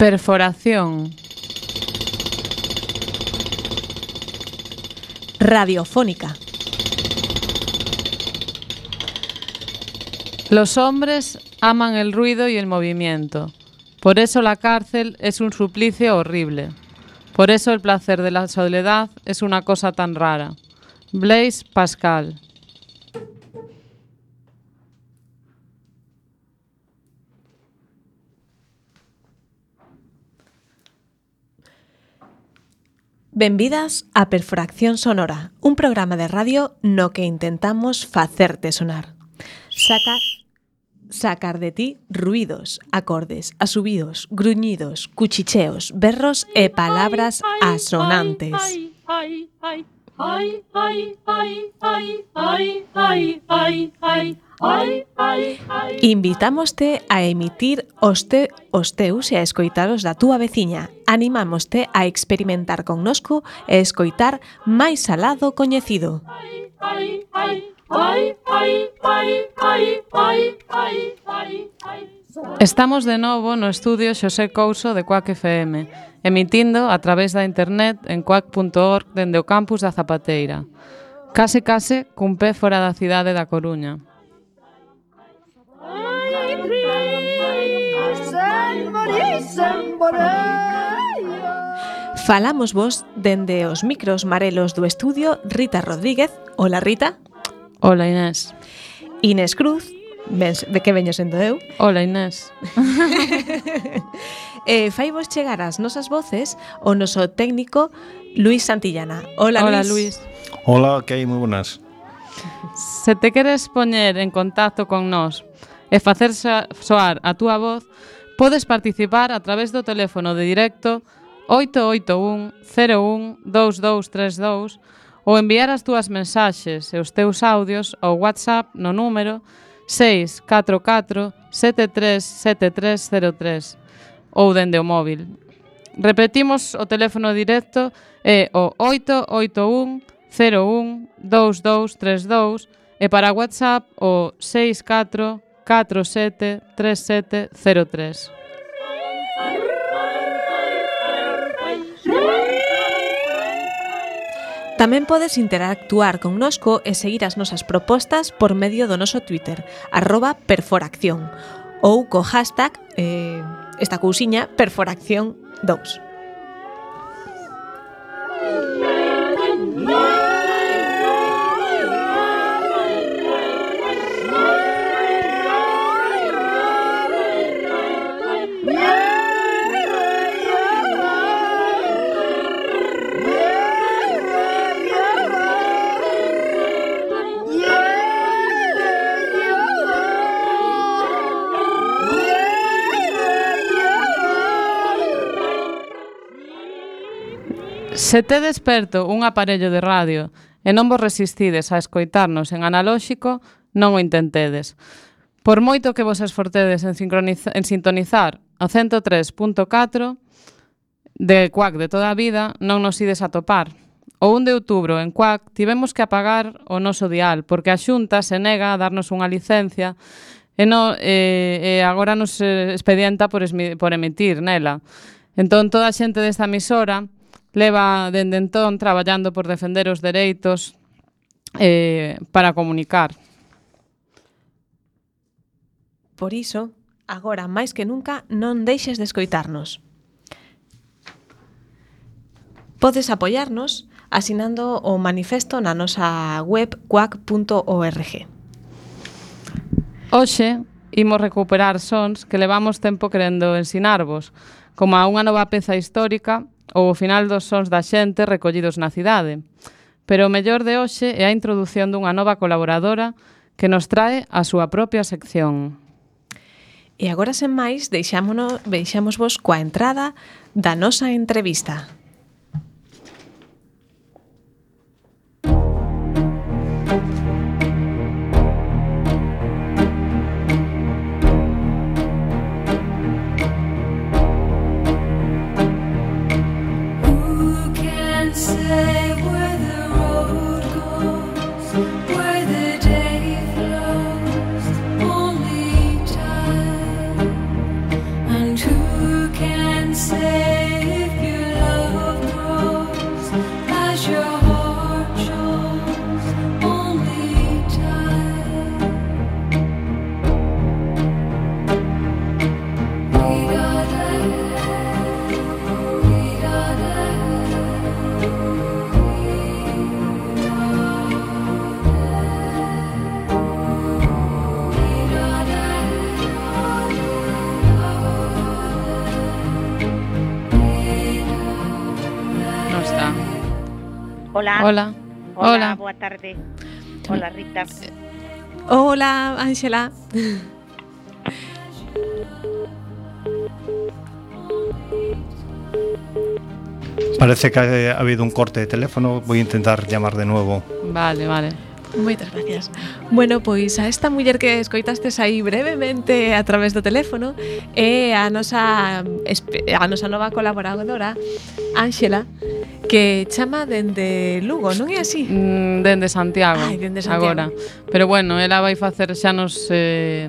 Perforación. Radiofónica. Los hombres aman el ruido y el movimiento. Por eso la cárcel es un suplicio horrible. Por eso el placer de la soledad es una cosa tan rara. Blaise Pascal. Benvidas a Perforación Sonora, un programa de radio no que intentamos facerte sonar. Sacar de ti ruidos, acordes, asubidos, gruñidos, cuchicheos, berros e palabras asonantes. Invitámoste a emitir os teus e a escoitar os da túa veciña. Animámoste a experimentar connosco e escoitar máis alá do coñecido. Estamos de novo no estudio Xosé Couso de Cuac FM, emitindo a través da internet en cuac.org dende o campus da Zapateira. Case cun pé fora da cidade da Coruña. Falamos vos dende os micros marelos do estudio Rita Rodríguez. Hola, Rita. Hola, Inés. Inés Cruz. De que veño sendo eu? Hola, Inés. Fai vos chegar as nosas voces o noso técnico Luis Santillana. Hola, Hola, Luis. Luis. Hola, que hai? Moi buenas. Se te queres poñer en contacto con nós e facer soar a túa voz, podes participar a través do teléfono de directo 881 01 2232 ou enviar as túas mensaxes e os teus audios ao WhatsApp no número 644 737303 ou dende o móvil. Repetimos, o teléfono directo é o 881 01 2232 e para WhatsApp o 64473703. Tamén podes interactuar connosco e seguir as nosas propostas por medio do noso Twitter, @perforacción, ou co hashtag, esta cousiña, perforacción2. Se te desperto un aparello de radio e non vos resistides a escoitarnos en analóxico, non o intentedes. Por moito que vos esforcedes en sintonizar o 103.4 de Cuac de toda a vida, non nos ides a topar. O 1 de outubro en Cuac tivemos que apagar o noso dial porque a Xunta se nega a darnos unha licencia e agora nos expedienta por emitir nela. Entón, toda a xente desta emisora leva dende entón traballando por defender os dereitos para comunicar. Por iso, agora máis que nunca, non deixes de escoitarnos. Podes apoiarnos asinando o manifesto na nosa web cuac.org. Hoxe imos recuperar sons que levamos tempo querendo ensinarvos, como a unha nova peza histórica ou o final dos sons da xente recollidos na cidade. Pero o mellor de hoxe é a introdución dunha nova colaboradora que nos trae a súa propia sección. E agora, sen máis, deixámosvos coa entrada da nosa entrevista. Hola. Hola. Hola, boa tarde. Hola, Rita. Hola, Ángela. Parece que ha habido un corte de teléfono. Voy a intentar llamar de nuevo. Vale. Moitas gracias. Bueno, pois a esta muller que escoitastes aí brevemente a través do teléfono é a nosa nova colaboradora, Ángela, que chama dende Lugo, non é así? Dende Santiago. Ai, dende Santiago. Agora. Pero bueno, ela vai facer xa nos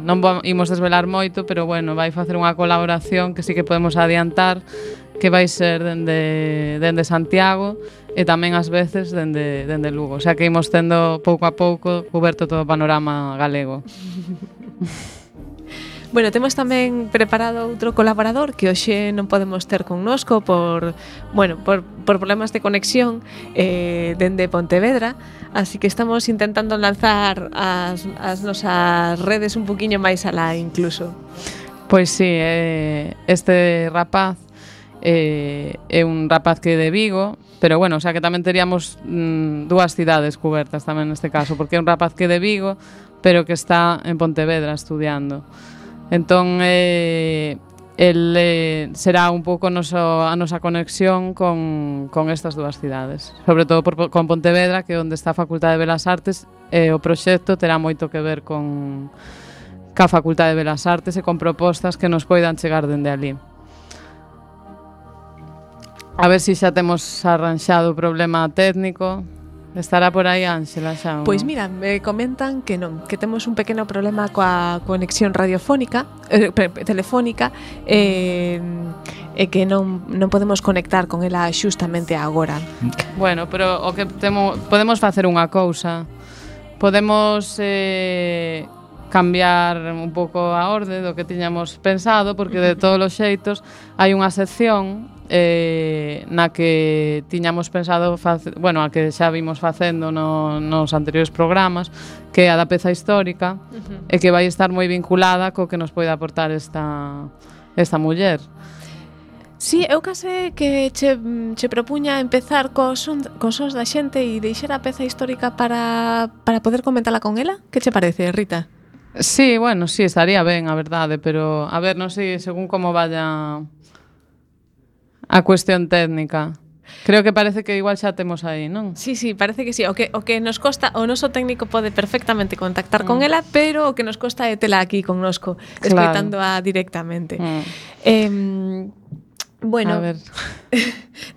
non imos desvelar moito, pero bueno, vai facer unha colaboración que sí que podemos adiantar, que vai ser dende Santiago e tamén ás veces dende Lugo. O sea que imos tendo pouco a pouco cuberto todo o panorama galego. Bueno, temos tamén preparado outro colaborador que hoxe non podemos ter connosco por problemas de conexión dende Pontevedra, así que estamos intentando lanzar as nosas redes un poquinho máis alá incluso. Pois sí, este rapaz é un rapaz que é de Vigo, pero bueno, o sea que tamén teríamos dúas cidades cubertas tamén neste caso, porque é un rapaz que é de Vigo, pero que está en Pontevedra estudiando. Entón, será un pouco a nosa conexión con estas dúas cidades, sobre todo con Pontevedra, que é onde está a Facultade de Belas Artes, e o proxecto terá moito que ver ca Facultade de Belas Artes e con propostas que nos poidan chegar dende ali. A ver se xa temos arranxado o problema técnico. Estará por aí Ángela xa? Pois mira, me comentan que non, que temos un pequeno problema coa conexión radiofónica, telefónica, e que non podemos conectar con ela xustamente agora. Bueno, pero o que podemos facer unha cousa. Podemos cambiar un pouco a orde do que tiñamos pensado, porque de todos os xeitos hai unha sección na que tiñamos pensado a que xa vimos facendo nos anteriores programas, que é a da peza histórica, e que vai estar moi vinculada co que nos pode aportar esta muller. Sí, eu case que che propuña empezar cos sons da xente e deixar a peza histórica para poder comentala con ela. Que che parece, Rita? Sí, bueno, sí, estaría ben, a verdade, pero a ver, non sei, según como vaya a cuestión técnica. Creo que parece que igual xa temos aí, non? Sí, parece que sí. O que nos costa, o noso técnico pode perfectamente contactar con ela, pero o que nos costa é tela aquí connosco, escoitándoa directamente. Bueno, a ver.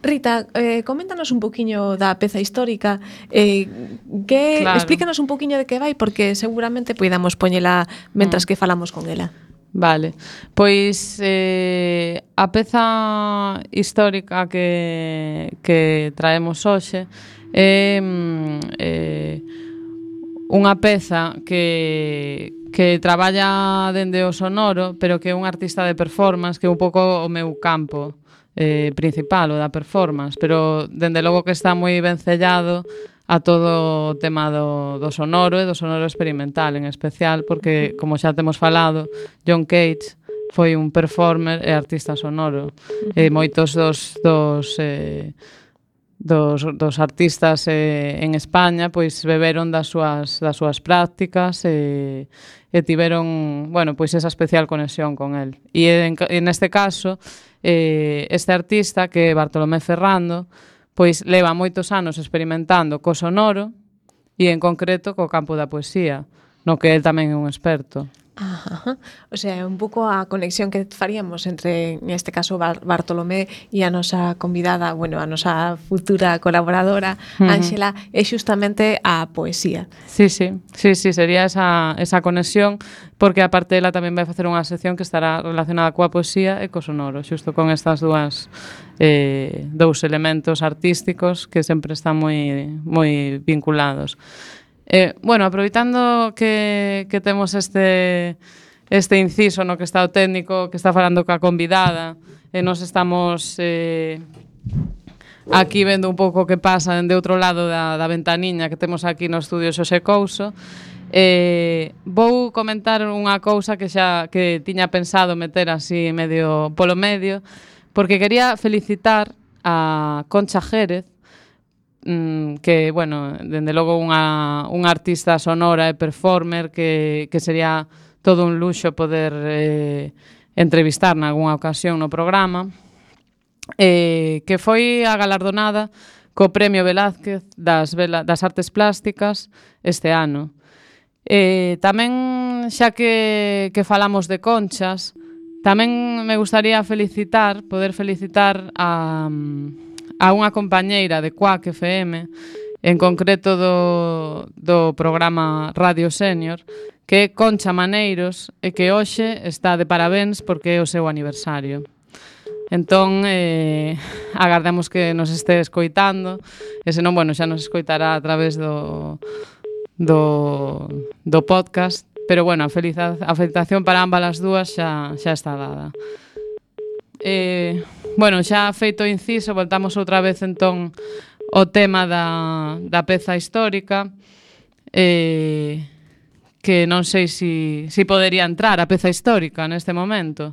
Rita, coméntanos un poquiño da peza histórica, explícanos un poquiño de que vai, porque seguramente poidamos poñela mentras que falamos con ela. Vale, pois a peza histórica que traemos hoxe é unha peza que traballa dende o sonoro, pero que é un artista de performance, que é un pouco o meu campo principal, o da performance, pero dende logo que está moi vencellado a todo o tema do sonoro e do sonoro experimental en especial, porque, como xa temos falado, John Cage foi un performer e artista sonoro. E moitos dos artistas en España pois beberon das súas prácticas e tiveron, bueno, pois esa especial conexión con el. E neste caso, este artista, que é Bartolomé Ferrando, pois leva moitos anos experimentando co sonoro e en concreto co campo da poesía, no que el tamén é un experto. Ajá. O sea, un pouco a conexión que faríamos entre, neste caso, Bartolomé e a nosa convidada, bueno, a nosa futura colaboradora, Ángela, é xustamente a poesía. Sí, sería esa conexión, porque aparte ela tamén vai facer unha sección que estará relacionada coa poesía e co sonoro, xusto con estas dous elementos artísticos que sempre están moi vinculados. Bueno, aproveitando que temos este inciso no que está o técnico, que está falando coa convidada, e nos estamos aquí vendo un pouco o que pasa dende outro lado da ventaniña que temos aquí no estudio Xosé Couso, vou comentar unha cousa que tiña pensado meter así medio polo medio, porque quería felicitar a Concha Jérez que, bueno, dende logo unha artista sonora e performer que sería todo un luxo poder entrevistar nalgúna ocasión no programa, que foi a galardonada co Premio Velázquez das Artes Plásticas este ano. Tamén, xa que falamos de conchas, tamén me gustaría poder felicitar a unha compañeira de Quack FM, en concreto do programa Radio Senior, que é Concha Maneiros, e que hoxe está de parabéns porque é o seu aniversario. Entón, agardemos que nos este escoitando, e senón, bueno, xa nos escoitará a través do podcast, pero bueno, a felicitación para ambas as dúas xa está dada. Bueno, xa feito o inciso, voltamos outra vez entón ao tema da peza histórica, que non sei se podería entrar a peza histórica neste momento.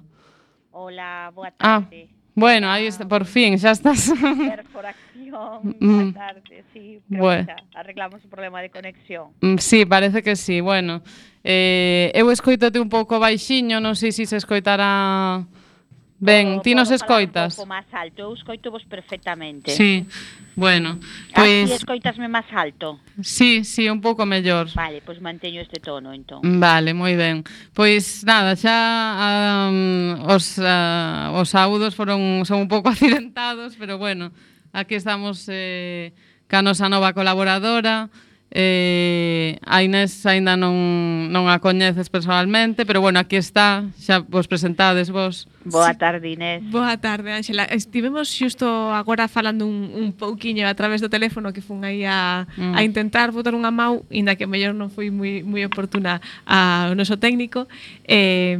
Hola, boa tarde. Bueno, aí está, por fin, xa estás. Perforación, boa tarde, sí, pero bueno, xa arreglamos o problema de conexión. Sí, parece que sí, bueno. Eu escoitote un pouco baixiño, non sei se escoitará ben. Ti nos escoitas? Un pouco máis alto, eu escoito vos perfectamente. Sí, bueno, pois... Así escoitasme máis alto? Sí, un pouco mellor. Vale, pois manteño este tono, entón. Vale, moi ben. Pois nada, xa os saúdos son un pouco accidentados, pero bueno, aquí estamos ca nosa nova colaboradora. A Inés aínda non a coñeces personalmente, pero bueno, aquí está, xa vos presentades vos. Boa tarde, Inés. Boa tarde, Ángela. Estivemos xusto agora falando un pouquiño a través do teléfono, que fun aí a intentar botar unha mau, inda que mellor non foi moi oportuna ao noso técnico, e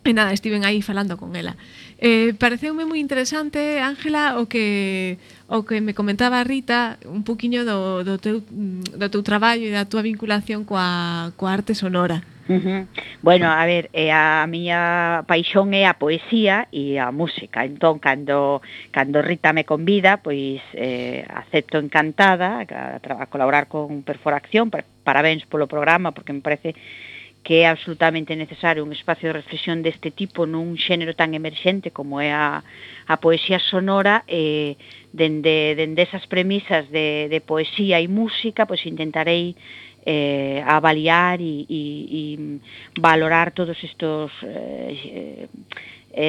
nada, estiven aí falando con ela. Pareceume moi interesante, Ángela, o que me comentaba Rita, un poquinho do teu traballo e da túa vinculación coa arte sonora. Bueno, a ver, a miña paixón é a poesía e a música. Entón, cando Rita me convida, pois acepto encantada a colaborar con Perforación. Parabéns polo programa, porque me parece que é absolutamente necesario un espacio de reflexión deste tipo nun xénero tan emerxente como é a poesía sonora. Dende esas premisas de poesía e música, pois intentarei avaliar e valorar todos estos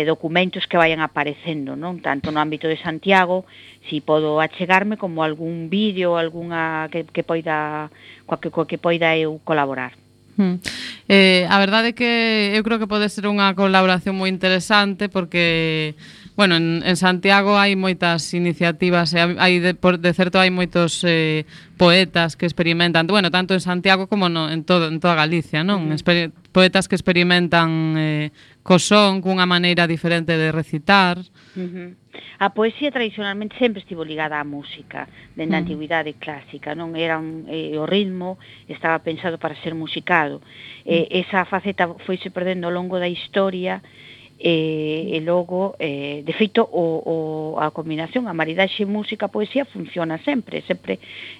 documentos que vayan aparecendo, non? Tanto no ámbito de Santiago, si podo achegarme, como algún vídeo, algunha que poida eu colaborar. A verdade é que eu creo que pode ser unha colaboración moi interesante, porque bueno, en Santiago hai moitas iniciativas, hai de certo hai moitos poetas que experimentan, bueno, tanto en Santiago como en toda Galicia, non? Poetas que experimentan co son, cunha maneira diferente de recitar. A poesía tradicionalmente sempre estivo ligada á música, dende a antigüidade clásica, non? Era o ritmo estaba pensado para ser musicado. Esa faceta foise perdendo ao longo da historia, e logo, de feito, a combinación, a maridaxe música-poesía funciona sempre,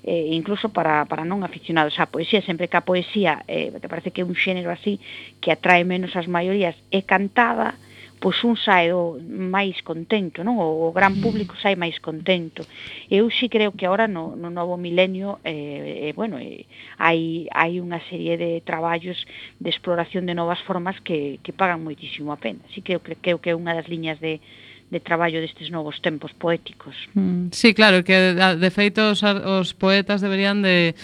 incluso para non aficionados á poesía, sempre que a poesía, que parece que é un xénero así que atrae menos as maiorías, é cantada, pois un sae máis contento, non? O gran público sae máis contento. Eu sí creo que agora no novo milenio, hai unha serie de traballos de exploración de novas formas que pagan moitísimo a pena. Así que creo que é unha das liñas de traballo destes novos tempos poéticos. Sí, claro, que de feito os poetas deberían de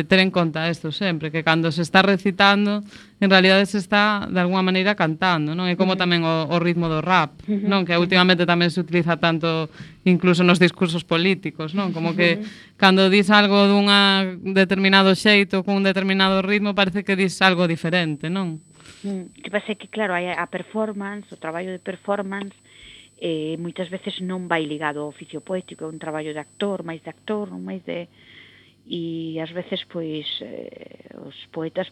ter en conta isto sempre, que cando se está recitando, en realidade se está de alguma maneira cantando, non? É como tamén o ritmo do rap, non? Que últimamente tamén se utiliza tanto incluso nos discursos políticos, non? Como que cando dis algo dunha determinado xeito, cun determinado ritmo, parece que dis algo diferente, non? Que pasa que, claro, a performance, o traballo de performance, moitas veces non vai ligado ao oficio poético, é un traballo de actor, máis non máis de... E ás veces, pois, os poetas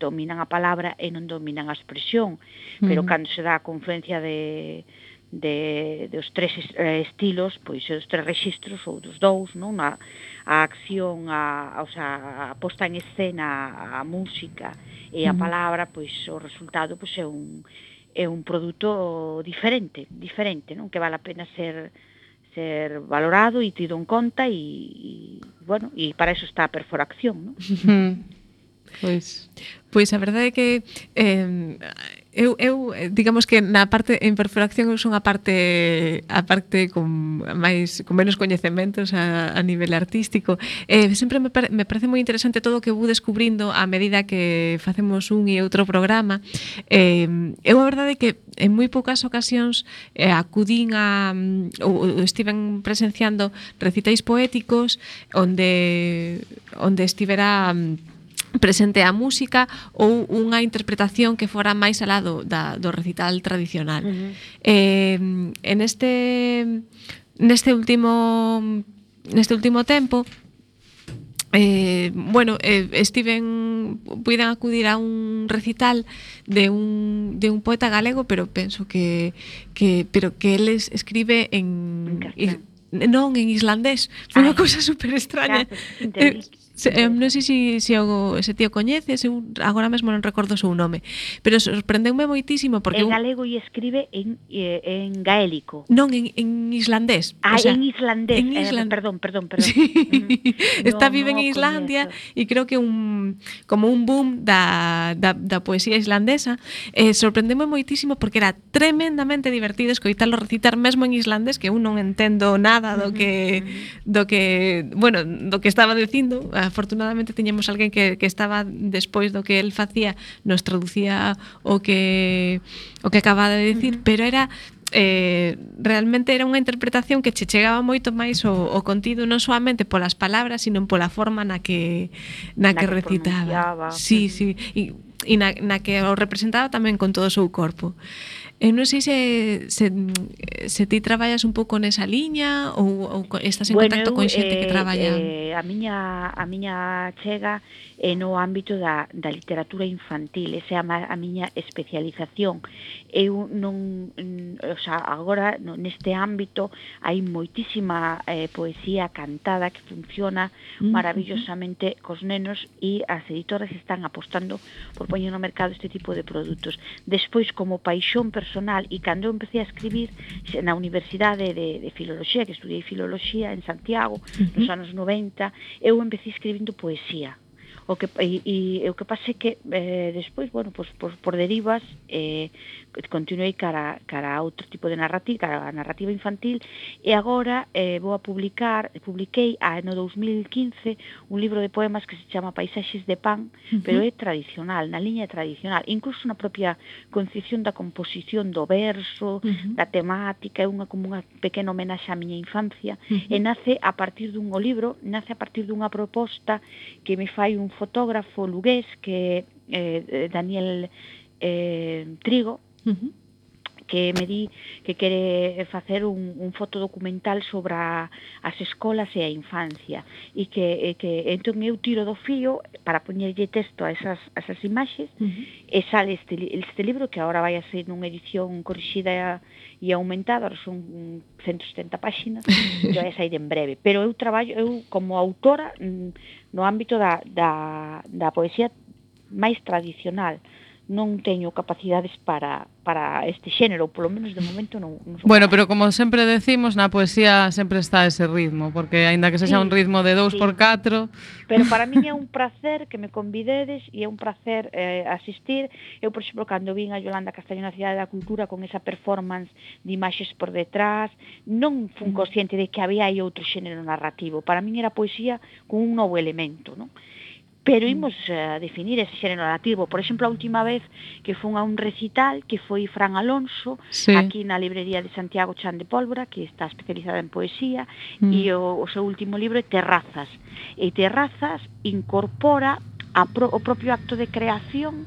dominan a palabra e non dominan a expresión, pero cando se dá a confluencia de dos tres estilos, pois os tres rexistros ou dos dous, non? A acción, o sea, a posta en escena, a música e a palabra, pois o resultado pois é un produto diferente, non? Que vale a pena ser valorado e tido en conta e bueno, e para eso está a perforación, non? Pois a verdade é que eu digamos que na parte en perforación eu son a parte con menos coñecementos a nivel artístico. Sempre me parece moi interesante todo o que vou descubrindo a medida que facemos un e outro programa. Eu a verdade é que en moi poucas ocasións acudín ou estiven presenciando recitais poéticos onde estivera presente a música ou unha interpretación que fora máis alá do recital tradicional. En neste último tempo puiden acudir a un recital de un poeta galego, pero penso que él escribe non en islandés. Foi unha cousa super extraña. Non sei se ese tío coñeces, eu agora mesmo non recordo o seu nome, pero sorprendeume moitísimo porque en galego e escribe en gaélico. Non, en islandés. En islandés. Perdón. Sí. Vive en Islandia e creo que como un boom da poesía islandesa. Sorprendeume moitísimo porque era tremendamente divertido escoitalo recitar mesmo en islandés, que eu non entendo nada do que estaba dicindo. Afortunadamente tiñamos alguén que estaba despois do que el facía, nos traducía o que acababa de dicir, pero era realmente era unha interpretación que che chegaba moito máis o contido, non solamente polas palabras, sino pola forma na que recitaba. Sí, e na que o representaba tamén con todo o seu corpo. Eu non sei se ti traballas un pouco nesa liña ou estás en contacto con xente que traballa. A miña chega no ámbito da literatura infantil, esa é a miña especialización. Eu non, agora neste ámbito hai moitísima poesía cantada que funciona maravillosamente cos nenos e as editoras están apostando por poñer no mercado este tipo de produtos. Despois, como paixón personal, e cando eu empecé a escribir na Universidade de Filoloxía, que estudiei Filoloxía en Santiago nos anos 90, eu empecé escribindo poesía. O que pasa é que despois, por derivas, continuei cara a outro tipo de narrativa, cara a narrativa infantil, e agora publiquei no 2015 un libro de poemas que se chama Paisaxes de Pan, pero é tradicional, na liña tradicional, incluso na propia concepción da composición do verso, da temática, é como unha pequena homenaxe á miña infancia, e nace a partir dunha proposta que me fai un fotógrafo lugués que é Daniel Trigo, que me di que quere facer un fotodocumental sobre as escolas e a infancia, e que entón eu tiro do fío para poñerlle texto a esas imaxes, e sale este libro que agora vai a ser nunha edición corrixida e aumentada, son 170 páxinas, que vai a sair en breve, pero eu traballo como autora no ámbito da poesía máis tradicional. Non teño capacidades para este xénero, polo menos de momento non son. Bueno, pero como sempre decimos, na poesía sempre está ese ritmo, porque aínda que sexa un ritmo de 2x4... Pero para mí é un placer que me convidedes e é un placer asistir. Eu, por exemplo, cando vin a Yolanda Castaño na Cidade da Cultura con esa performance de imaxes por detrás, non fun consciente de que había aí outro xénero narrativo. Para mí era poesía con un novo elemento, non? Pero imos definir ese xénero narrativo. Por exemplo, a última vez que fun a un recital que foi Fran Alonso, aquí na librería de Santiago Chan de Pólvora, que está especializada en poesía, e o seu último libro é Terrazas. E Terrazas incorpora o propio acto de creación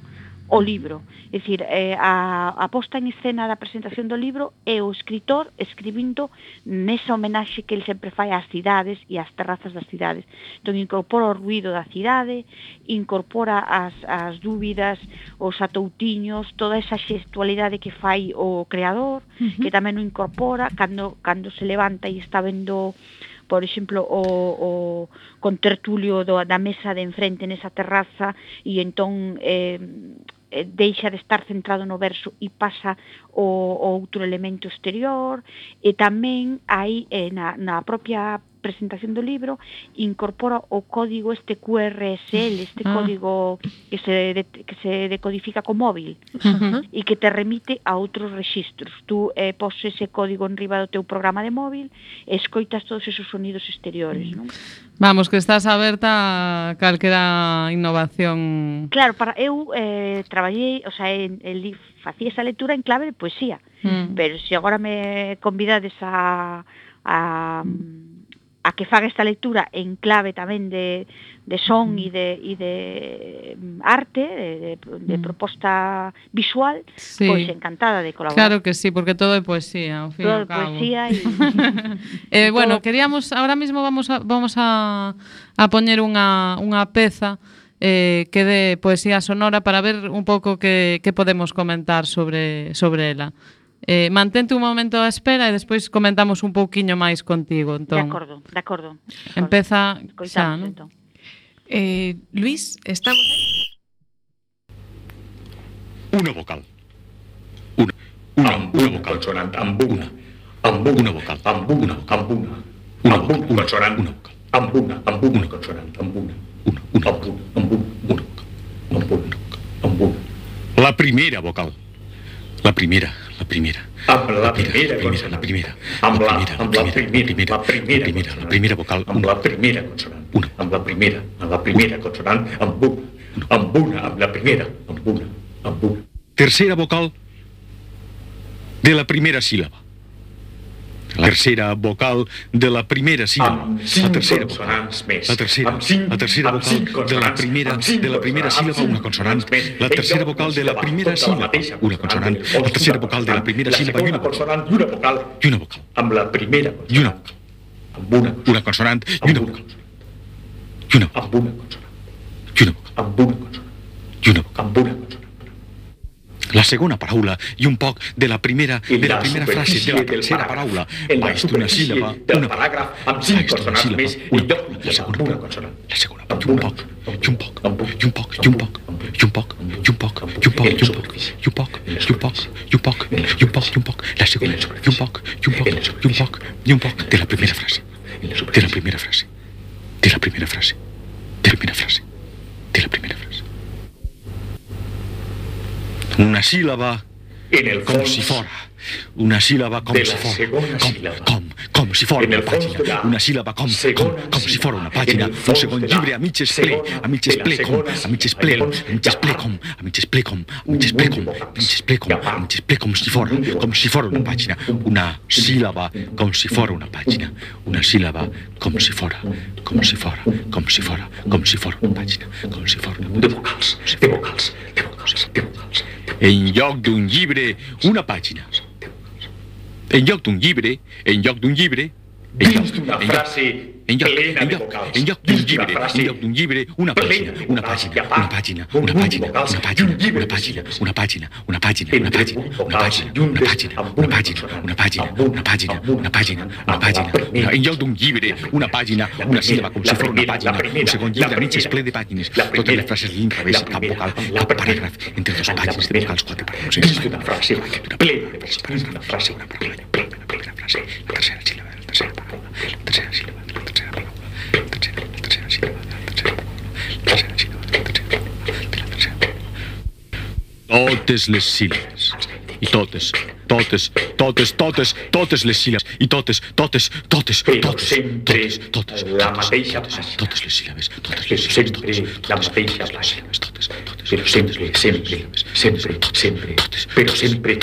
o libro. É dicir, a posta en escena da presentación do libro é o escritor escribindo nesa homenaxe que ele sempre fai ás cidades e ás terrazas das cidades. Entón, incorpora o ruído da cidade, incorpora as dúbidas, os atoutiños, toda esa xestualidade que fai o creador, que tamén o incorpora cando se levanta e está vendo, por exemplo, o contertulio da mesa de enfrente nesa terraza, e entón deixa de estar centrado no verso e pasa o outro elemento exterior, e tamén aí na propia presentación do libro incorpora o código este QRSL, este código que se decodifica co móvil e que te remite a outros rexistros. Tú poses ese código en riba do teu programa de móvil e escoitas todos esos sonidos exteriores, non? Vamos, que estás aberta a calquera innovación. Claro, eu traballei, o sea, facía esa lectura en clave de poesía, pero se agora me convidades a que faga esta lectura en clave tamén de son e de arte, de proposta visual, sí, pois encantada de colaborar. Claro que sí, porque todo é poesía, ao fin todo e ao cabo. Poesía bueno, queríamos, ahora mismo vamos a poñer unha peza que de poesía sonora para ver un pouco que podemos comentar sobre ela. Mantente un momento á espera e despois comentamos un pouquiño máis contigo, entón. De acordo. Empeza xa, non? Entón. Luis, estamos aí? Una vocal. Una vocal sonante. Ambuna. Una vocal. Ambuna. Una vocal sonante. Una vocal. Ambuna consonante. Ambuna. La primera vocal. La primera. La primera vocal. Amb la primera consonant. Amb la primera consonant. Ambuna. Amb la primera. Ambuna. Tercera vocal de la primera sílaba. La tercera vocal de la primera sílaba. La tercera vocal de la primera sílaba, una consonante. La tercera vocal de la primera sílaba, una consonante. La tercera vocal de la primera sílaba y una vocal. Y una vocal. Amb la primera y una vocal. Una consonante y una vocal. Y una vocal. Y una vocal. Y una vocal. La segona paraula i un poc de la primera frase de la tercera paraula. Baix d'una síl·laba, una paràgraf amb 5 consonants més i lloc la segona consonant. La segona, i un poc, i un poc, i un poc, i un poc, i un poc, i un poc, i un poc, i un poc, i un poc, i un poc, i un poc, i un poc, i un poc, la segona, i un poc, i un poc, i un poc, i un poc de la primera frase. De la primera frase. De la primera frase. De la primera frase. De la primera frase. Una sílaba com si fora. Una sílaba com si fora. Com si fora una pàgina. Una sílaba com si fora una pàgina. Un segon llibre a mitges ple. A mitges ple com. A mitges ple. A mitges ple com. A mitges ple com. A mitges ple com. A mitges ple com. A mitges ple com si fora. Com si fora una pàgina. Una sílaba com si fora una pàgina. Una sílaba com si fora. Com si fora. Com si fora. Com si fora una pàgina. Com si fora una pàgina. De vocals. De vocals. De vocals. De vocals. En lloc d'un llibre, una pàgina. En lloc d'un llibre, dins d'una frase plena de vocals. En lloc d'un llibre, una pàgina. Una pàgina. Una pàgina. Una pàgina. Una pàgina. Una pàgina. Una pàgina. Una pàgina. Una pàgina. Una pàgina. Una pàgina. Una pàgina. Una pàgina. Una pàgina. Una pàgina. Una pàgina. En lloc d'un llibre, una pàgina, una síl·laba com si fos una pàgina. Un segon llibre a mitges ple de pàgines. Totes les frases l'inrevés, cap vocal, cap paràgraf, entre dos pàgines de vocals, 4 paràgrafs. Dins d'una frase plena de vocals. Dins d'una frase plena. La primera frase, la tercera síl·laba, la tercera paraula, la tercera síl·laba, la tercera paraula, la tercera síl·laba, la tercera paraula, la tercera síl·laba, la tercera paraula, la tercera paraula. Totes les síl·labes. I totes les síl·labes. I totes la mateixa pàgina. Totes les síl·labes. Sempre la mateixa pàgina. Però sempre,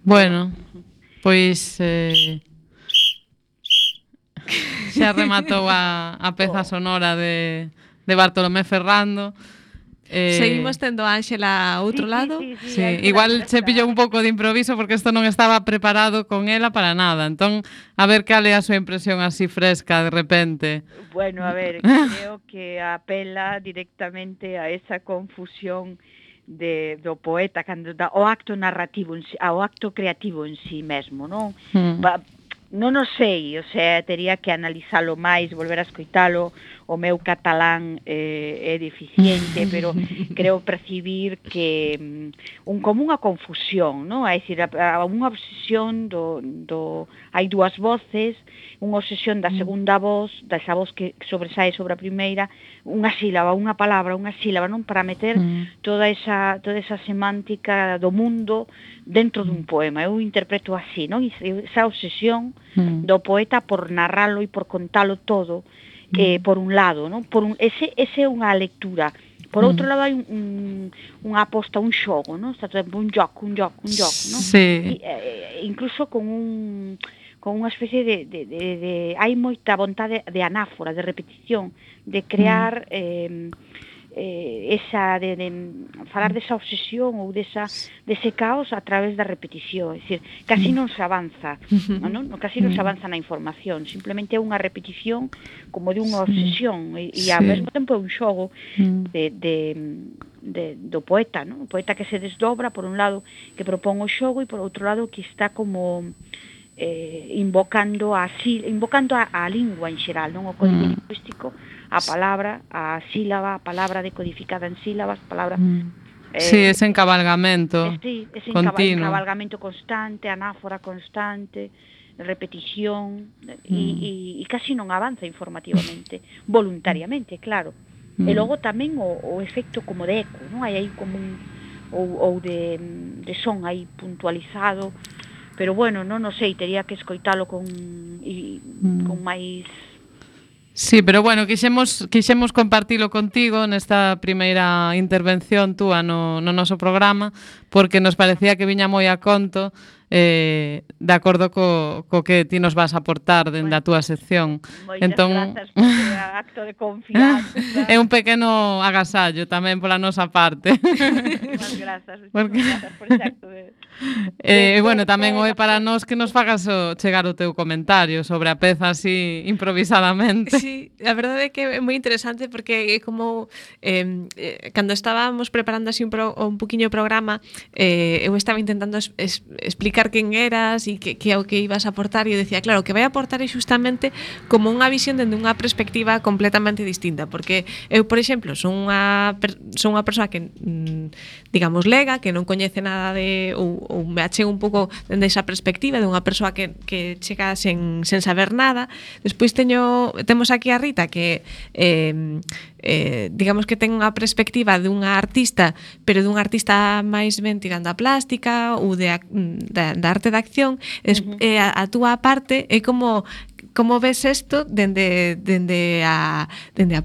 Bueno, pois xa rematou a peza sonora de Bartolomé Ferrando. Seguimos tendo a Ángela a outro lado. Sí, igual se pillou un pouco de improviso porque isto non estaba preparado con ela para nada. Entón, a ver cal é a súa impresión así fresca de repente. Bueno, a ver, creo que apela directamente a esa confusión do poeta cando dá o acto narrativo, ao acto creativo en sí mesmo, non? Non o sei, o sea, tería que analizalo máis, volver a escoitalo. O meu catalán é deficiente, pero creo percibir que como unha confusión, non? É dicir, unha obsesión hai dúas voces, unha obsesión da segunda voz, desa voz que sobresae sobre a primeira, unha sílaba, unha palabra, unha sílaba, non? Para meter toda esa semántica do mundo dentro dun poema. Eu interpreto así, non? Esa obsesión do poeta por narralo e por contalo todo, por un lado, non? Ese é unha lectura. Por outro lado hai unha aposta, un xogo, non? Está todo un joco, non? Sí. Incluso con unha especie de hai moita vontade de anáfora, de repetición, de crear esa de falar desa obsesión ou dese caos a través da repetición, é dicir, casi non se avanza, non? Casi non se avanza na información, simplemente é unha repetición como de unha obsesión e ao mesmo tempo é un xogo do poeta, non? O poeta que se desdobra por un lado, que propón o xogo e por outro lado que está como invocando a lingua en xeral, non? O código lingüístico, a palabra, a sílaba, a palabra decodificada en sílabas, palabra... Sí, ese encabalgamento continuo. Encabalgamento constante, anáfora constante, repetición, e casi non avanza informativamente, voluntariamente, claro. E logo tamén o efecto como de eco, non? Hai aí como ou de son aí puntualizado, pero bueno, non o sei, tería que escoitalo con máis... Sí, pero bueno, quixemos compartilo contigo nesta primeira intervención túa no noso programa, porque nos parecía que viña moi a conto de acordo co que ti nos vas a aportar dende a túa sección. Entón, grazas por acto de confianza. É un pequeno agasallo tamén pola nosa parte. Moitas grazas por ese acto de... bueno, tamén o é para nós que nos fagas chegar o teu comentario sobre a peza así improvisadamente. Sí, a verdade é que é moi interesante porque é como cando estábamos preparando así un poquinho o programa, eu estaba intentando explicar quen eras e que é o que ibas a aportar e eu decía, claro, o que vai aportar é justamente como unha visión dende unha perspectiva completamente distinta, porque eu, por exemplo, son unha persoa que digamos lega, que non coñece nada de ou me achego un pouco dende esa perspectiva de unha persoa que chega sen saber nada. Despois temos aquí a Rita que digamos que ten unha perspectiva dunha artista, pero dunha artista máis ben tirando a plástica ou da arte de acción. A túa parte é como ves isto dende a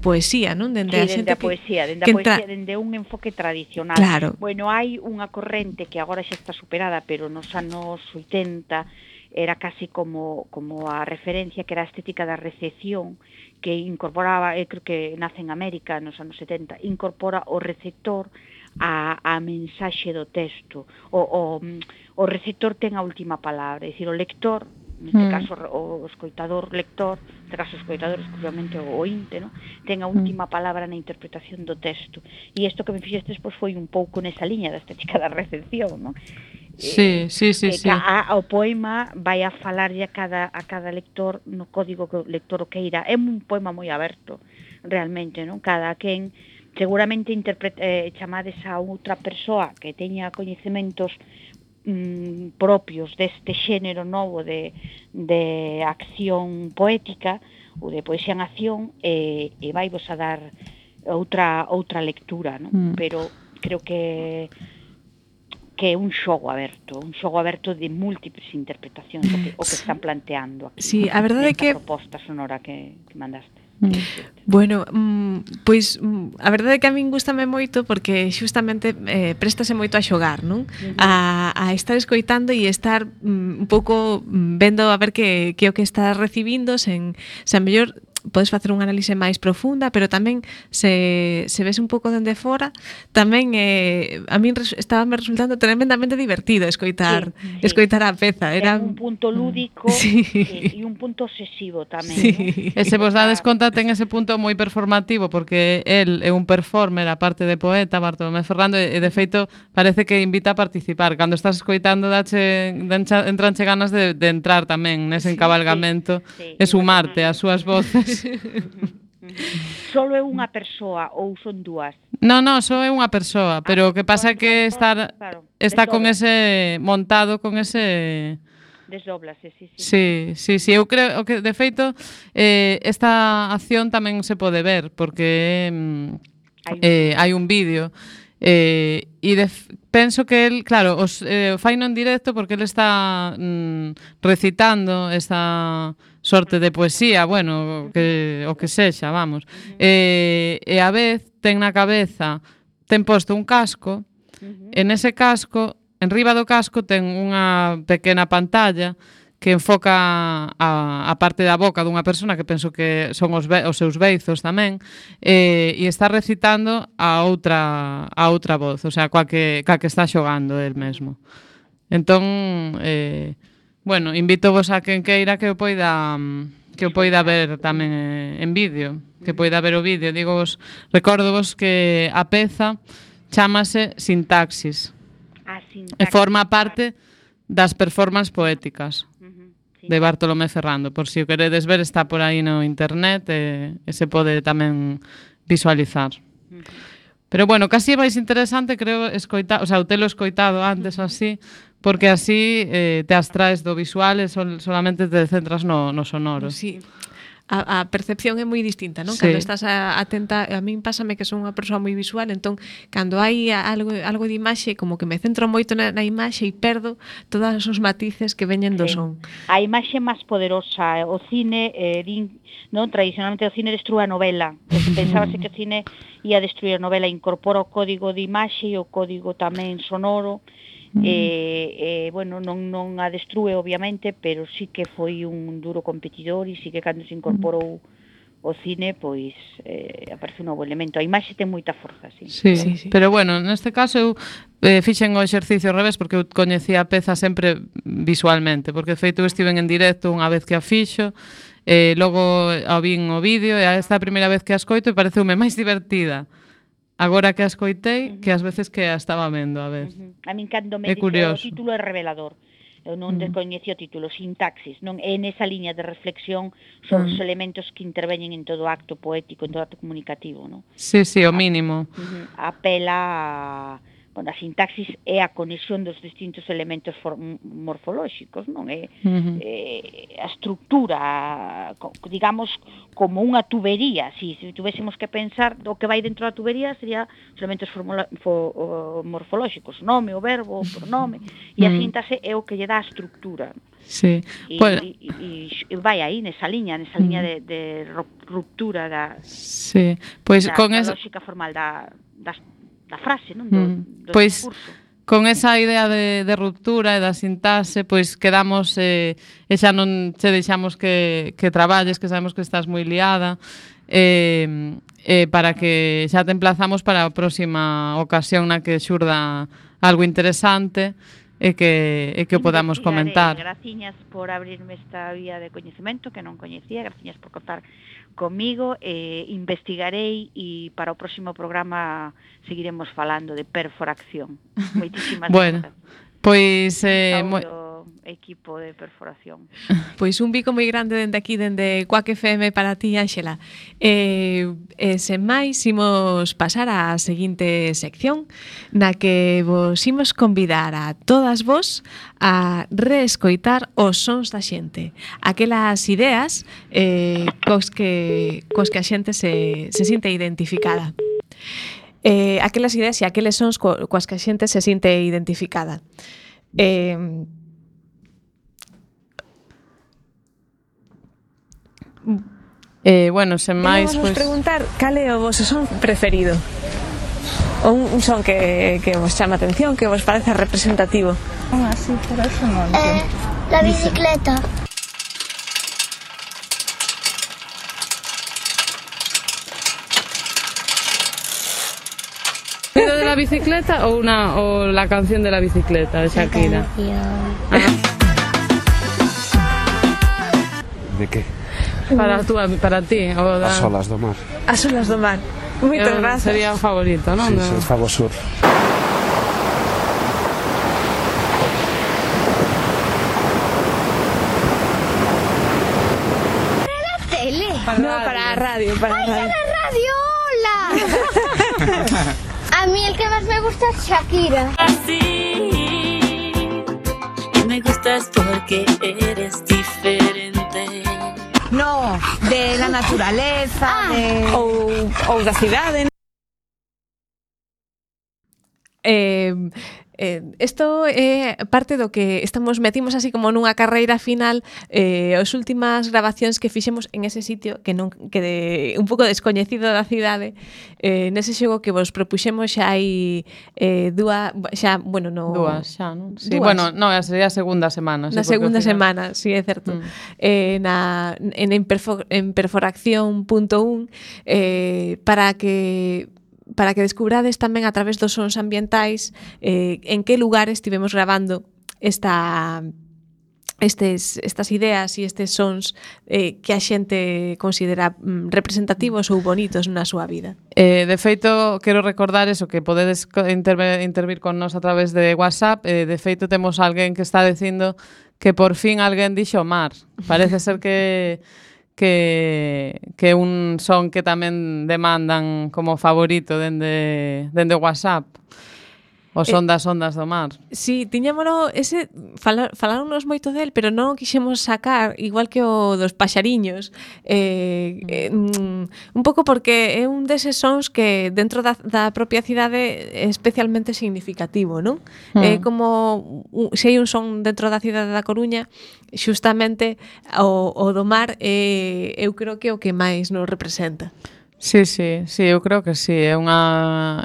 poesía, non? Dende a poesía, dende un enfoque tradicional. Claro. Bueno, hai unha corrente que agora xa está superada, pero nos anos 80 era casi como a referencia, que era a estética da recepción, que incorporaba, creo que nace en América nos anos 70, incorpora o receptor a mensaxe do texto. O receptor ten a última palabra, é dicir, o lector neste caso o escoitador lector, neste caso o escoitador exclusivamente o ointe, no? Ten a última palabra na interpretación do texto. E isto que me fixestes pois, foi un pouco nesa liña da estética da recepción, no? Sí. O poema vai a falarlle a cada lector no código que o lector o queira. É un poema moi aberto, realmente, non? Cada quen seguramente chamades a outra persoa que teña coñecementos propios deste xénero novo de acción poética ou de poesía en acción e vai vos a dar outra lectura, non? Pero creo que é un xogo aberto de múltiples interpretacións o que están planteando aquí. Sí, a verdade é que proposta sonora que mandaste. Bueno, pois a verdade é que a min gústame moito porque xustamente préstase moito a xogar, non? A estar escoitando e estar un pouco vendo a ver que o que estás recibindo sen a mellor podes facer unha análise máis profunda, pero tamén se ves un pouco dende fora, tamén a min estaba me resultando tremendamente divertido escoitar a peza. Era un punto lúdico e un punto obsesivo tamén, sí. E se vos dades conta ten ese punto moi performativo porque el é un performer, aparte de poeta, Bartolomé Ferrando, e de feito parece que invita a participar. Cando estás escoitando entranche ganas de entrar tamén nese encabalgamento e sumarte ás súas voces. Solo é unha persoa ou son dúas? No, só é unha persoa, pero o que pasa é que está con ese montado con ese desdóblase, sí, eu creo que de feito esta acción tamén se pode ver porque hai un vídeo e penso que el, claro, faino en directo porque el está recitando esta sorte de poesía, bueno, o que sexa, vamos. E a vez ten na cabeza, ten posto un casco, e nese casco, enriba do casco ten unha pequena pantalla que enfoca a parte da boca dunha persona que penso que son os seus beizos tamén, e está recitando a outra voz, o sea, coa que está xogando el mesmo. Entón, bueno, invítovos a quen queira que o poida ver tamén en vídeo, que poida ver o vídeo. Recórdovos que a peza chámase Sintaxis. E forma parte das performances poéticas de Bartolomé Ferrando. Por si o queredes ver, está por aí no internet e se pode tamén visualizar. Pero bueno, casi é máis interesante, creo, escoitar, o sea, o telo escoitado antes así, porque así te abstraes do visual e solamente te centras no sonoro. Sí. A percepción é moi distinta, non? Sí. Cando estás atenta, a min pásame que son unha persoa moi visual, entón, cando hai algo de imaxe, como que me centro moito na imaxe e perdo todos os matices que veñen do son. A imaxe máis poderosa, o cine, non? Tradicionalmente o cine destrúe a novela. Pensábase que o cine ia destruir a novela, incorpora o código de imaxe e o código tamén sonoro, bueno, non a destrúe obviamente, pero sí que foi un duro competidor e sí que cando se incorporou o cine, pois aparece un novo elemento. A imaxe ten moita forza, sí. Sí. Pero bueno, neste caso eu fixen o exercicio ao revés porque eu coñecía a peza sempre visualmente, porque de feito estiven en directo unha vez que a fixo, logo a vin o vídeo e esta é a primeira vez que a escoito e pareceume máis divertida agora que a escoitei que as veces que a estaba vendo a vez. A min cando me dixo o título é revelador. Eu non descoñecía o título, Sintaxis, non é nesa liña de reflexión sobre os elementos que interveñen en todo acto poético, en todo acto comunicativo, non? Sí, o mínimo. Apela a sintaxis é a conexión dos distintos elementos morfolóxicos, non? É a estructura, digamos, como unha tubería. Se tuvésemos que pensar o que vai dentro da tubería sería os elementos morfolóxicos, nome, o verbo, o pronome, e a síntase é o que lle dá a estructura. Sí. E vai aí, nesa liña de ruptura da lógica formal da frase, non? Do pois, discurso. Con esa idea de ruptura e da sintaxe, pois quedamos e xa non che deixamos que traballes, que sabemos que estás moi liada, para que xa te emplazamos para a próxima ocasión na que xurda algo interesante e que o podamos comentar. Graciñas por abrirme esta vía de coñecemento que non coñecía, graciñas por contar comigo, investigarei e para o próximo programa seguiremos falando de perforación. Moitísimas bueno, pois equipo de perforación. Pois un bico moi grande dende aquí, dende Quack FM para ti, Ángela. Sen máis, imos pasar á seguinte sección na que vos imos convidar a todas vos a reescoitar os sons da xente, aquelas ideas cos que a xente se sinte identificada. Aquelas ideas e aqueles sons coas que a xente se sinte identificada. Bueno, sen máis, pois preguntar cal é o vosso son preferido. Ou un son que vos chama a atención, que vos parece representativo. Así, pero eso non entiendo. La bicicleta. ¿Pero de la bicicleta o la canción de la bicicleta de Shakira? De que? Para ti. O As olas do mar. As olas do mar. Moitas grazas. Sería o favorito, non? Sí, se fago surf. Para a radio. ¡Ay, para la radio! ¡Hola! A mí el que más me gusta es Shakira. Así, y me gustas porque eres diferente. No, de la naturaleza, ou da cidade. Isto é parte do que metimos así como nunha carreira final, as últimas grabacións que fixemos en ese sitio que un pouco descoñecido da cidade, nese xogo que vos propuxemos xa hai dúas, xa, non? Sí, dúas. Bueno, non, sería a segunda semana. Na segunda semana, sí, é certo. En perforación.1 para que descubrades tamén a través dos sons ambientais en que lugares estivemos grabando estas ideas e estes sons que a xente considera representativos ou bonitos na súa vida. De feito, quero recordar eso, que podedes intervir con nós a través de WhatsApp. De feito, temos alguén que está dicindo que por fin alguén dixo mar. Parece ser que un son que tamén demandan como favorito dende WhatsApp. O son das ondas do mar. Sí, tiñámolo, faláronos moito del, pero non o quixemos sacar, igual que o dos paxariños, un pouco porque é un deses sons que dentro da propia cidade é especialmente significativo, non? É como, se hai un son dentro da cidade da Coruña, xustamente o do mar eu creo que é o que máis nos representa. Sí, eu creo que sí, a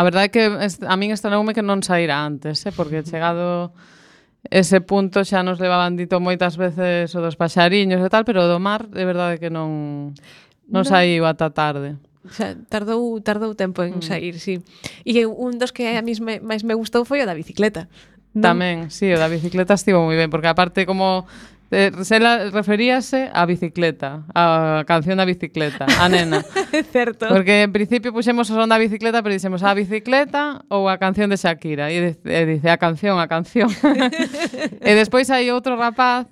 verdade é que a min estranoume que non saíra antes, porque chegado ese punto xa nos levaban dito moitas veces o dos paxariños e tal, pero o do mar de verdade que non saiu ata tarde. Xa, tardou tempo en sair, sí. E un dos que a mí máis me gustou foi o da bicicleta. Tamén, sí, o da bicicleta estivo moi ben, porque aparte como Sela referíase á bicicleta, a canción da bicicleta, a nena. Certo. Porque en principio puxemos o son da bicicleta, pero dixemos a bicicleta ou a canción de Shakira. E dice a canción. E despois hai outro rapaz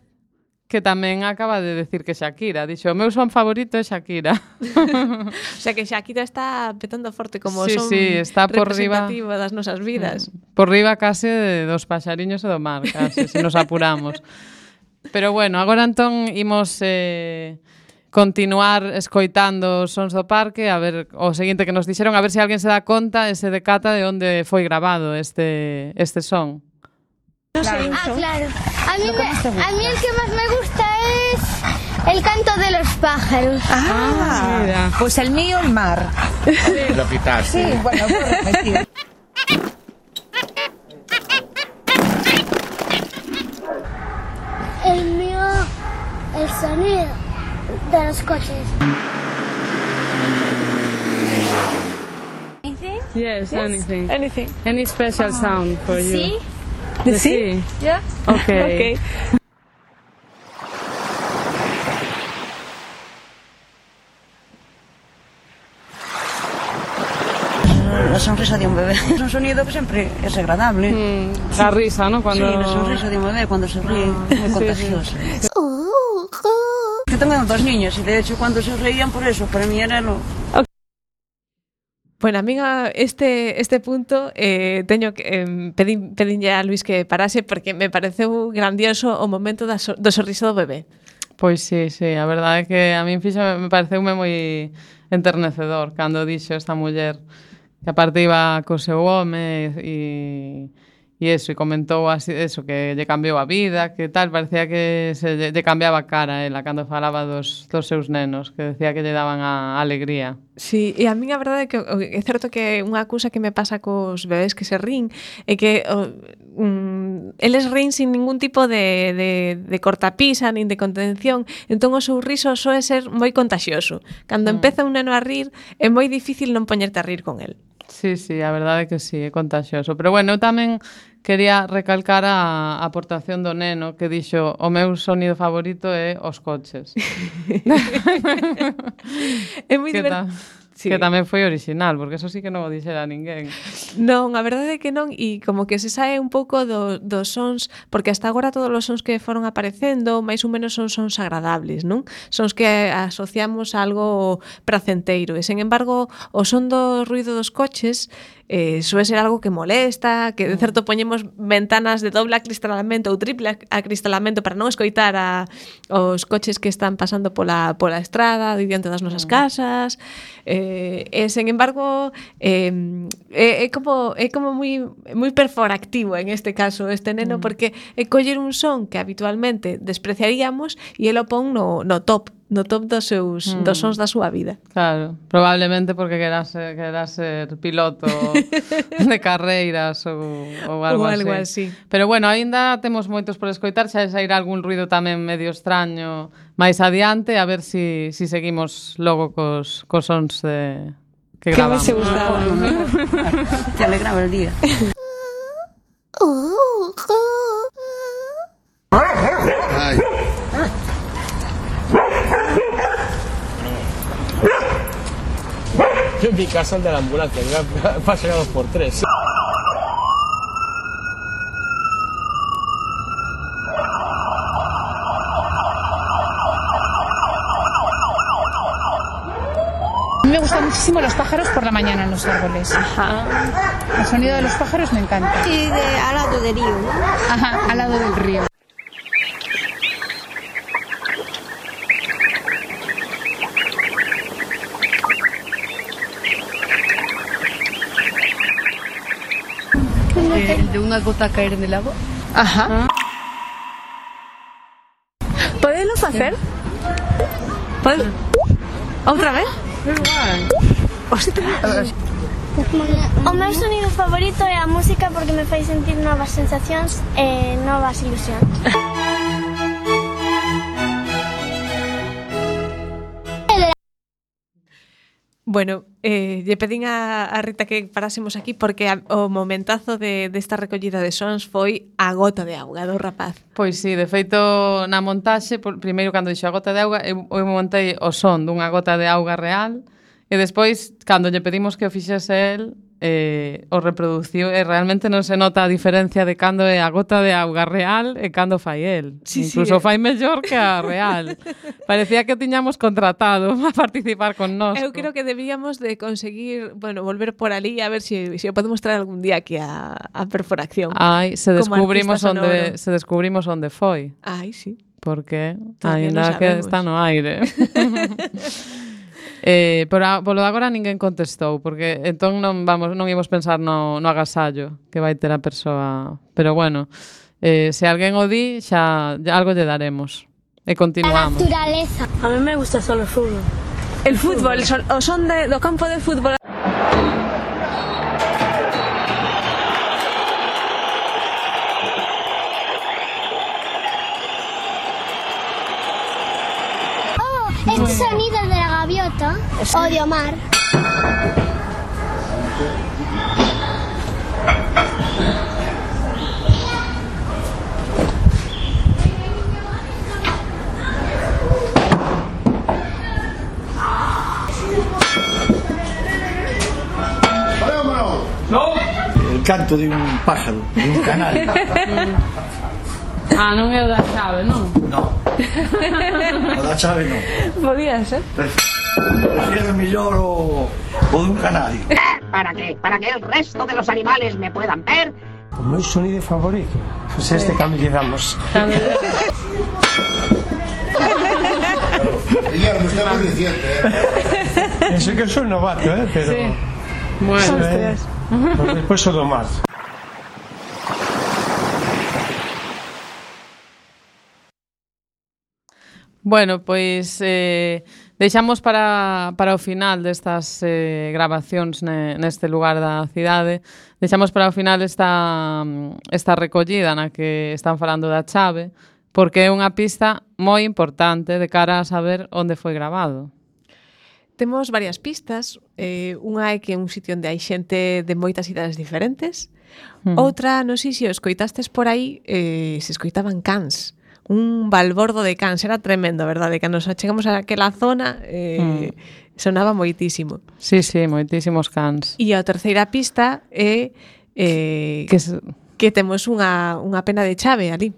que tamén acaba de decir que Shakira. Dixo, o meu son favorito é Shakira. O sea que Shakira está petando forte como son está por representativo das nosas vidas. Por riba case dos paxariños e do mar, case, se nos apuramos. Pero bueno, agora entón imos continuar escoitando os sons do parque, a ver o seguinte que nos dixeron, a ver se alguén se dá conta e se decata de onde foi grabado este son. Claro. Claro. A mí el que más me gusta es el canto de los pájaros. Mira. Pues el mío, el mar. Lo quitaste. Sí, bueno, puedo repetir. El mío, el sonido de los coches. Yes, anything. Anything. Any special sound for you? Sí, ¿De sí? ¿Ya? Ok. La sonrisa de un bebé es un sonido que siempre es agradable. La risa, ¿no? Cuando... Sí, la sonrisa de un bebé cuando se ríe, muy contagiosa. Yo tengo 2 niños y de hecho cuando se reían por eso, para mí era lo... Bueno, a mí este punto teño que pedinlle a Luis que parase porque me pareceu grandioso o momento do sorriso do bebé. Pois sí, a verdade é que a min me pareceume moi enternecedor cando dixo esta muller que aparte iba co seu home e eso, e comentou así, eso, que lle cambiou a vida, que tal, parecía que se lle cambiaba a cara a ela cando falaba dos seus nenos, que decía que lle daban a alegría. Sí, e a min a verdade é que é certo que unha cousa que me pasa cos bebés que se rín é que eles rín sin ningún tipo de cortapisa nin de contención, entón o seu riso soe ser moi contagioso. Cando empeza un neno a rir é moi difícil non poñerte a rir con el. Sí, a verdade é que sí, é contagioso. Pero bueno, eu tamén quería recalcar a aportación do neno que dixo o meu sonido favorito é os coches. É moi divertido. Sí. Que tamén foi original, porque eso sí que non o dixera ninguén. Non, a verdade é que non, e como que se sae un pouco dos sons, porque hasta agora todos os sons que foron aparecendo máis ou menos son sons agradables, non? Sons que asociamos a algo pracenteiro, e sen embargo o son do ruido dos coches soe ser algo que molesta, que de certo poñemos ventanas de doble acristalamento ou triple acristalamento para non escoitar os coches que están pasando pola estrada diante das nosas casas, e sen embargo é como moi perforactivo en este caso este neno, porque é coller un son que habitualmente despreciaríamos e el o pon no top dos sons da súa vida. Claro, probablemente porque querás ser piloto de carreiras ou algo así. Pero bueno, aínda temos moitos por escoitar, xa sairá algún ruido tamén medio extraño máis adiante, a ver si seguimos logo cos sons que gravamos. Que me se gustaba. Te alegraba el día. Ay. Yo en mi casa el de la ambulancia, pasa 2x3. A mí me gustan muchísimo los pájaros por la mañana en los árboles. Ajá. El sonido de los pájaros me encanta. Y al lado del río, ¿no? Ajá, al lado del río. El de una gota caer en el agua. Ajá. ¿Podéislo facer? Outra vez? O meu sonido favorito é a música porque me fai sentir novas sensacións e novas ilusións. Bueno, lle pedín a Rita que parásemos aquí porque o momentazo desta recollida de sons foi a gota de auga do rapaz. Pois sí, de feito na montaxe, primeiro cando dixo a gota de auga, eu montei o son dunha gota de auga real e despois, cando lle pedimos que o fixese el, o reproduciu e realmente non se nota a diferencia de cando é a gota de auga real e cando fai el. Sí, incluso fai mellor que a real. Parecía que o tiñamos contratado a participar con nós. Eu creo que debíamos de conseguir, volver por ali a ver se o podemos traer algún día aquí a Perforacción. Ai, se descubrimos onde foi. Ai, sí. Porque ainda que está no aire. Polo de agora ninguén contestou, porque entón non imos pensar no agasallo que vai ter a persoa. Pero bueno, se alguén o di, xa algo lle daremos. E continuamos. A naturaleza. A mí me gusta solo el fútbol. El fútbol, o son do campo de fútbol. Este sonido de la gaviota o de Omar. canto de un pájaro, de un canario. Non é o da chave, non? Non. O da chave non. Podía ser. Prefiero mellor o de un canario. ¿Para qué? ¿Para que el resto de los animales me puedan ver? O meu sonido favorito, pues este cambio que damos. Guillermo, está muy reciente, Eso que soy novato, pero... Sí. Bueno. Pues despois o do mar. Bueno, pois deixamos para o final destas grabacións neste lugar da cidade. Deixamos para o final esta recollida na que están falando da chave, porque é unha pista moi importante de cara a saber onde foi grabado. Temos varias pistas. Unha é que é un sitio onde hai xente de moitas idades diferentes. Outra, non sei se o escoitastes por aí, se escoitaban cans. Un balbordo de cans, era tremendo, verdade? Cando nos chegamos a aquela zona sonaba moitísimo. Sí, moitísimos cans. E a terceira pista é que temos unha pena de chave ali.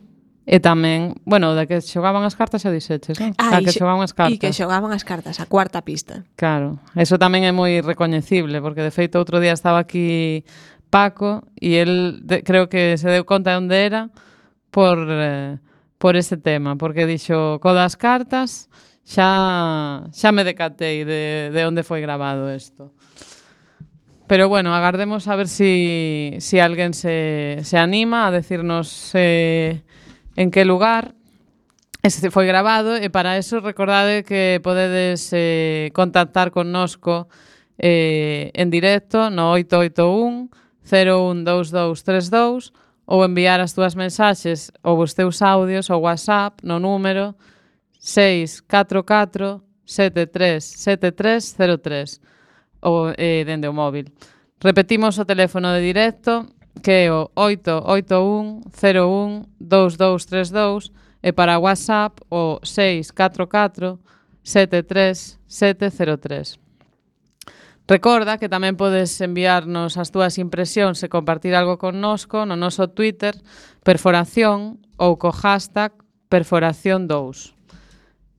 E tamén, bueno, de que xogaban as cartas xa dixeches, non? Que xogaban as cartas. E que xogaban as cartas, a cuarta pista. Claro, eso tamén é moi recoñecible, porque de feito outro día estaba aquí Paco e el creo que se deu conta de onde era por ese tema, porque dixo, co das cartas xa me decatei de onde foi grabado isto. Pero bueno, agardemos a ver si alguén se anima a decirnos en que lugar este foi grabado, e para eso recordade que podedes contactar connosco en directo no 881 012232 ou enviar as túas mensaxes ou os teus audios ao WhatsApp no número 644 737303 ou dende o móvil. Repetimos o teléfono de directo, que é o 881 01 2232, e para WhatsApp o 644 73703. Recorda que tamén podes enviarnos as túas impresións e compartir algo connosco no noso Twitter, Perforación, ou co hashtag Perforación2.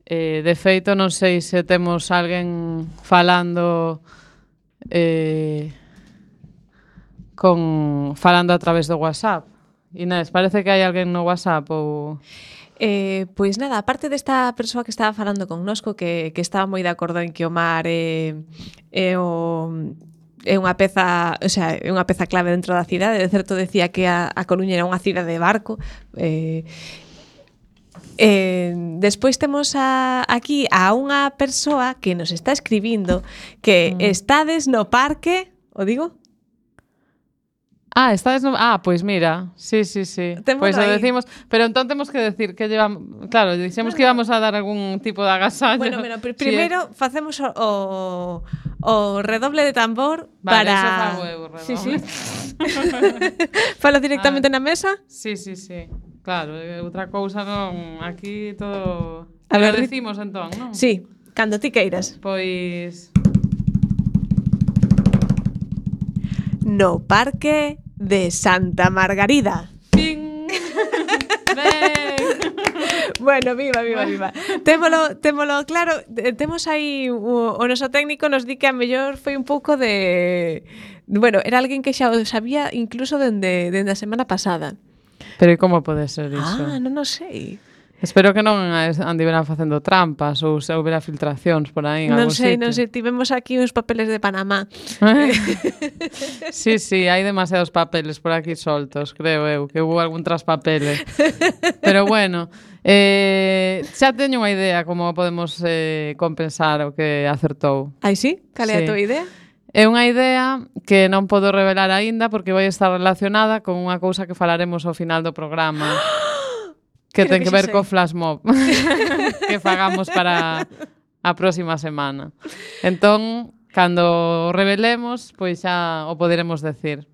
De feito, non sei se temos alguén falando falando a través do WhatsApp. Inés, parece que hai alguén no WhatsApp ou... Pois nada, aparte desta persoa que estaba falando connosco que estaba moi de acordo en que o mar é unha peza, o sea, é unha peza clave dentro da cidade. De certo decía que a Coruña era unha cidade de barco. Despois temos aquí a unha persoa que nos está escribindo que estades no parque, o digo? Estades no... pois mira, sí. Pois o decimos, pero entón temos que decir que llevamos, claro, dixemos que íbamos a dar algún tipo de agasallo. Bueno, primeiro facemos o redoble de tambor vale, para... Eso fago eu, redoble. Sí. Falo directamente na mesa? Sí. Claro, outra cousa non, aquí todo... A ver, decimos entón, non? Sí, cando ti queiras. Pois... No parque de Santa Margarida. ¡Ping! Bueno, viva. Témolo claro, temos aí o noso técnico nos di que a mellor foi un pouco de... Bueno, era alguén que xa o sabía incluso dende a semana pasada. Pero como pode ser iso? Non o sei. Espero que non andiveran facendo trampas ou se houbera filtracións por aí en algún sitio. Non sei, tivemos aquí uns papeles de Panamá. Sí, hai demasiados papeles por aquí soltos, creo eu, que hubo algún traspapele. Pero bueno, xa teño unha idea como podemos compensar o que acertou. Ai, sí? Cal é a tua idea? É unha idea que non podo revelar aínda porque vai estar relacionada con unha cousa que falaremos ao final do programa. Que ten que ver co flash mob que fagamos para a próxima semana. Entón, cando o revelemos, pois xa o poderemos decir.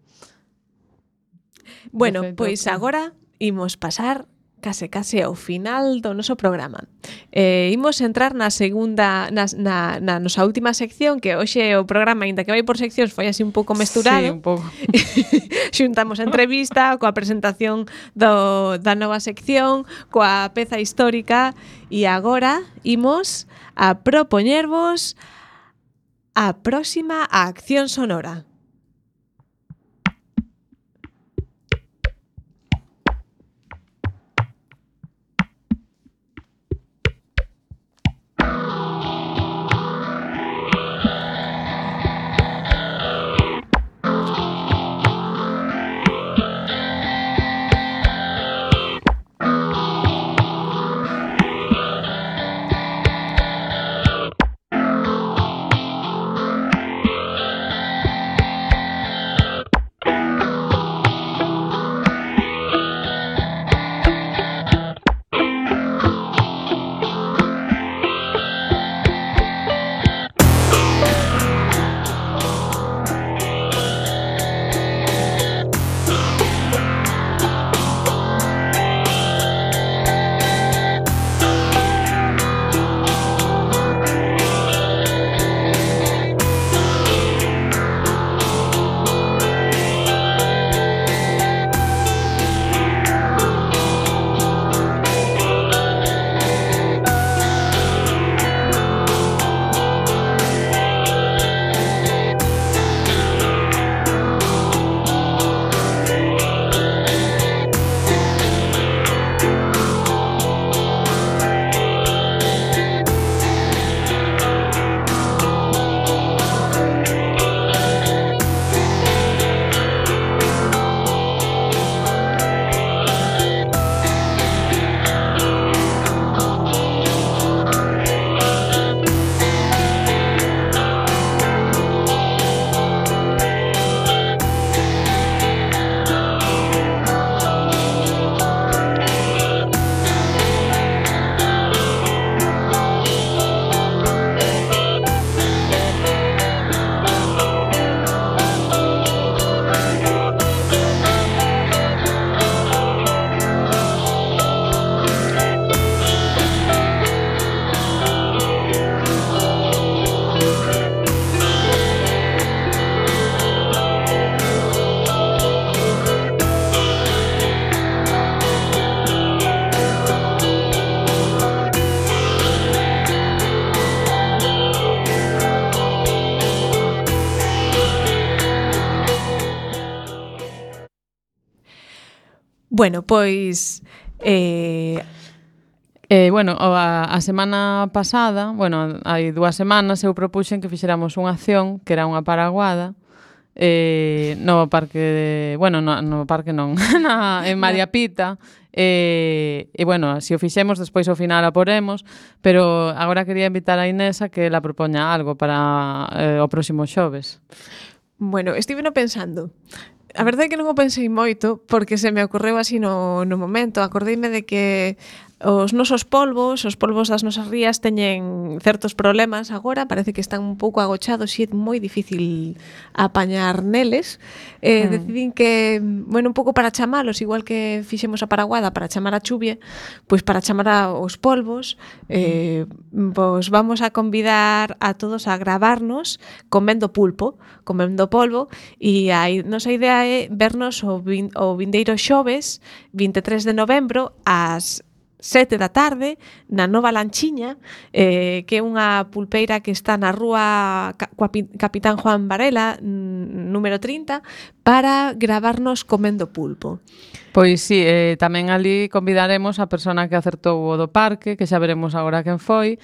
Bueno, pois agora imos pasar case ao final do noso programa. Imos entrar na segunda, na nosa última sección, que hoxe o programa, ainda que vai por seccións, foi así un pouco mesturado. Sí, un pouco. Xuntamos a entrevista coa presentación da nova sección, coa peza histórica, e agora imos a propoñervos a próxima acción sonora. Bueno, pois bueno, a semana pasada, bueno, hai 2 semanas eu propuxen que fixéramos unha acción que era unha paraguada no parque, bueno, no parque non, en María Pita, e bueno, se o fixemos despois ao final a poremos, pero agora quería invitar a Inés a que la propoña algo para o próximo xoves. Bueno, estive pensando. A verdade é que non o pensei moito porque se me ocorreu así no momento. Acordeime de que os nosos polvos, os polvos das nosas rías teñen certos problemas agora, parece que están un pouco agochados e é moi difícil apañar neles. Decidín que, bueno, un pouco para chamalos, igual que fixemos a paraguada para chamar a chuvia, pois para chamar aos polvos, pois vamos a convidar a todos a gravarnos comendo polvo, e a nosa idea é vernos o vindeiro xoves 23 de novembro ás 7 da tarde na Nova Lanchiña, que é unha pulpeira que está na rúa Capitán Juan Varela, número 30, para gravarnos comendo pulpo. Pois sí, tamén ali convidaremos a persona que acertou o do parque, que xa veremos agora quen foi,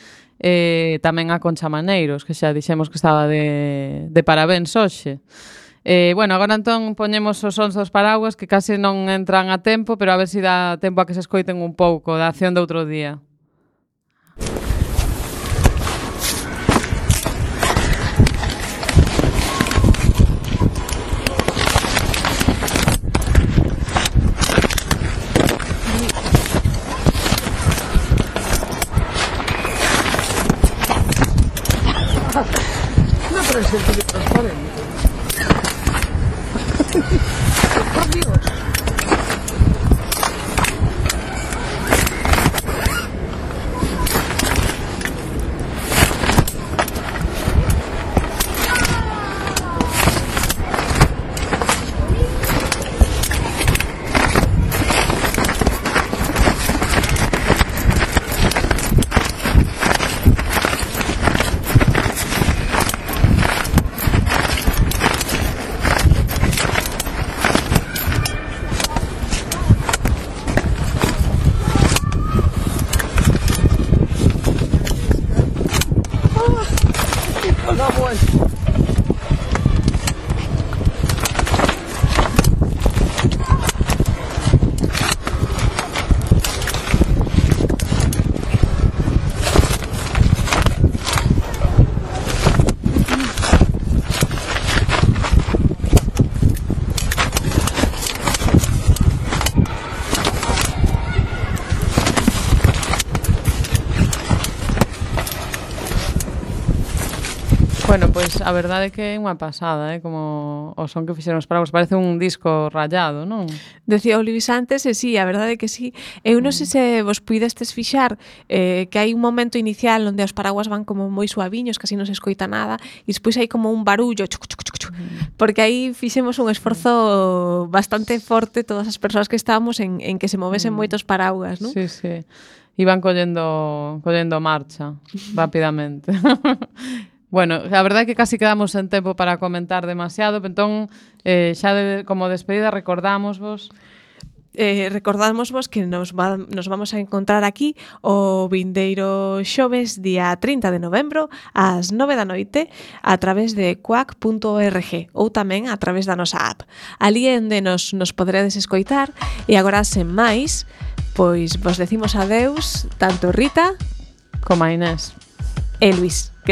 tamén a Concha Maneiros, que xa dixemos que estaba de parabéns hoxe. Bueno, agora entón poñemos os sons dos paraguas que case non entran a tempo, pero a ver se dá tempo a que se escoiten un pouco da acción de outro día. No presente de transparente. Por Dios. Da vuelta. Bueno, pois a verdade é que é unha pasada, como o son que fixeron os paraguas, parece un disco rayado, non? Decía o Luis antes, e sí, a verdade é que sí. Eu non sei se vos puidestes fixar que hai un momento inicial onde os paraguas van como moi suaviños, casi non se escoita nada, e despois hai como un barullo, porque aí fixemos un esforzo bastante forte todas as persoas que estábamos en que se movesen moitos paraguas, non? Sí, sí. Iban collendo marcha rapidamente. Bueno, a verdade é que casi quedamos sen tempo para comentar demasiado, entón, xa como despedida, recordámosvos que nos vamos a encontrar aquí o vindeiro xoves día 30 de novembro ás 9 da noite a través de quack.org ou tamén a través da nosa app. Ali é onde nos poderedes escoitar e agora, sen máis, pois vos decimos adeus tanto Rita como a Inés e Luis.